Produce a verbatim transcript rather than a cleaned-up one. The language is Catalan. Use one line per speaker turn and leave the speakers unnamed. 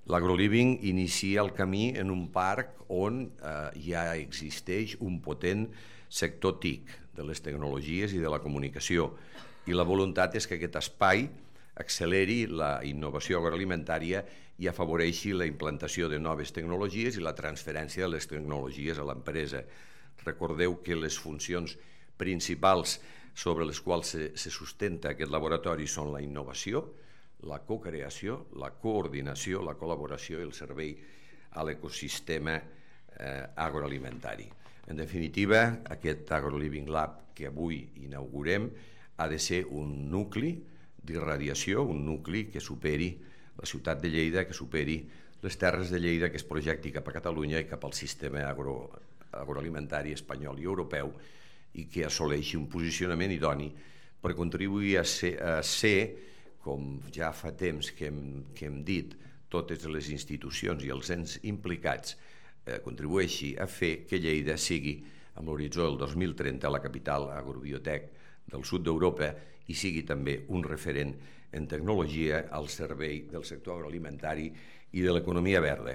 L'AgroLiving inicia el camí en un parc on eh, ja existeix un potent sector T I C, de les tecnologies i de la comunicació, i la voluntat és que aquest espai acceleri la innovació agroalimentària i afavoreixi la implantació de noves tecnologies i la transferència de les tecnologies a l'empresa. Recordeu que les funcions principals sobre les quals se, se sustenta aquest laboratori són la innovació, la cocreació, la coordinació, la col·laboració i el servei a l'ecosistema eh, agroalimentari. En definitiva, aquest AgroLiving Lab que avui inaugurem ha de ser un nucli d'irradiació, un nucli que superi la ciutat de Lleida, que superi les terres de Lleida, que es projecti cap a Catalunya i cap al sistema agro, agroalimentari espanyol i europeu i que assoleixi un posicionament idoni per contribuir a ser, a ser com ja fa temps que hem, que hem dit, totes les institucions i els ens implicats eh, contribueixi a fer que Lleida sigui, amb l'horitzó del dos mil trenta, la capital agrobiotec del sud d'Europa i sigui també un referent en tecnologia al servei del sector agroalimentari i de l'economia verda.